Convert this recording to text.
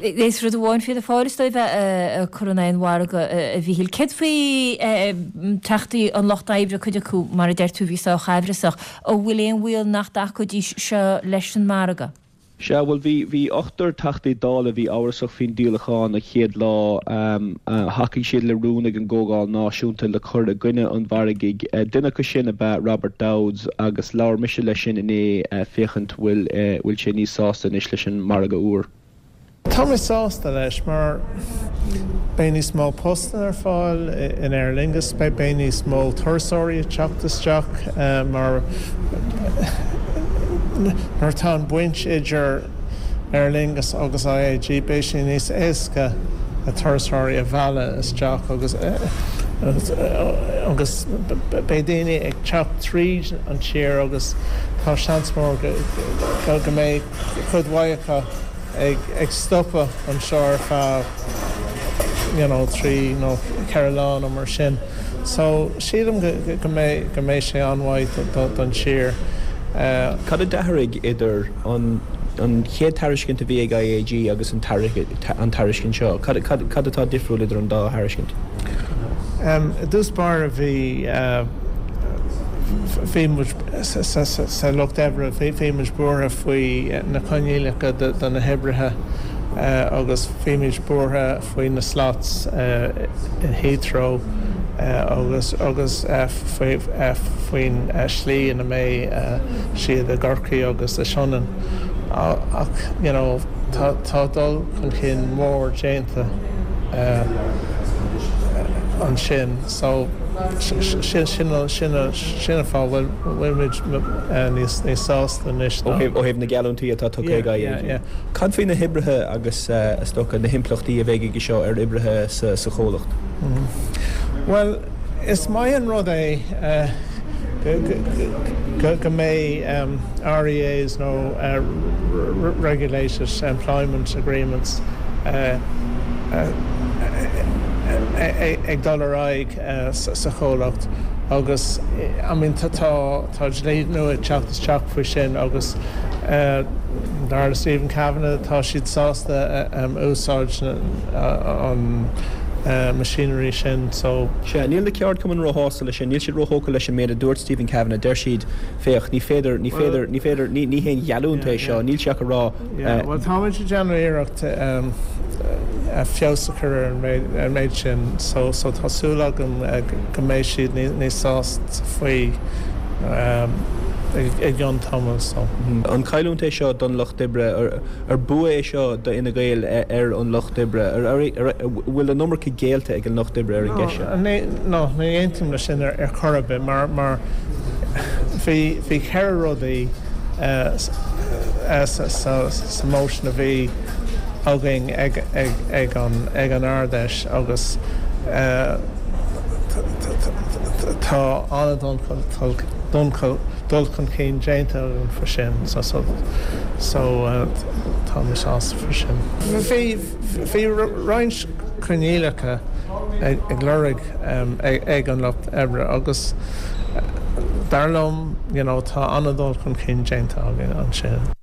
Is rud amháin Fianna Fáil is dóigh bheith ag cur in aghaidh an mhargaidh, a Mhíchíl. Céard faoi Teachtaí an Lucht Oibre, cuid acu, mar a deir tú, a bhí sách aimhreasach. An bhfuil aon bhaol nach dtacóidís seo leis an margadh? Sea, bhuel, bhí, bhí ochtar Teachtaí Dála a bhí amhrasach faoin díolachán an chéad lá. Thacaigh siad le rún ag an gComhdháil Náisiúnta le cur i gcoinne an mhargaidh. Duine acu sin ab ea Robert Dowds agus labhair mise leis sin inné féachaint bhfuil, bhfuil sé níos sásta anois leis an margadh úr. Tá mé sásta leis mar beidh níos mó postanna ar fáil in Aer Lingus, beidh níos mó turasóirí ag teacht isteach mar nuair atá an baint idir Aer Lingus agus IAG beidh sé níos éasca turasóirí a mhealladh isteach agus agus beidh daoine ag teacht tríd an tír agus tá seans mór go mbeidh cuid mhaith acu ag stopadh anseo ar feadh you know 3 nó 4 lá nó mar sin. So sílim go mbeidh go mbeidh sé an-mhaith don tír. Cad a d'athraigh idir an an chéad tairiscint a bhí ag IAG agus an an tairiscint seo? Cad cad atá difriúil idir an dá thairiscint? I dtús báire bhí bhí muid Sa Lucht Oibre, bhí muid buartha faoi na coinníollacha do na hoibrithe agus bhí muid buartha faoi na slots in Heathrow agus agus faoin slí ina mbeidh siad i gCorcaigh agus i Sionainn. Ach you know tá dul chun cinn mór déanta ansin so sin sin Sin an fáth a bhfuil muid níos sásta anois ná. Ó thaobh na geallúintí atá tugtha ag IAG. Cad faoi na hoibrithe agus is dócha na himpleachtaí a bheidh aige seo ar oibrithe sa chomhlacht? Bhuel, is maith an rud é go mbeidh REAs nó Regulated Employment Agreements ag dul ar aghaidh. sa chomhlacht agus I mean tá tá dlí nua ag teacht isteach faoi sin agus dar le Stephen Kavanagh tá siad sásta úsáid an machinery sin so. Sea, níl na ceardchumainn róshásta leis sin, níl siad róthógtha leis an méid a dúirt Stephen Kavanagh, deir siad, féach, ní féidir, ní féidir, ní féidir, ní ní haon gheallúint é seo, níl sé ach ag rá, Yeah, bhuel táimid ag déanamh iarracht feabhas a chur ar an méid sin so so tá súil agam go mbeidh siad níos sásta faoi i gcionn tamaill so. An cailliúint é seo don Lucht Oibre? Ar bua é seo do Fhine Gael ar an Lucht Oibre? Ar bhfuil an iomarca géillte ag an Lucht Oibre ar an gceist seo? No, ní aontaím leis sin ar chor ar bith mar mar bhí bhí cheithre rudaí sa motion a bhí againn ag an Ard-Fheis agus tá an-dul chun cinn déanta againn faoi sin so tá mé sásta faoi sin. Bhí roinnt coinníollacha ag lorg ag an Lucht Oibre agus dar liom you know tá an-dul chun cinn déanta againn ansin.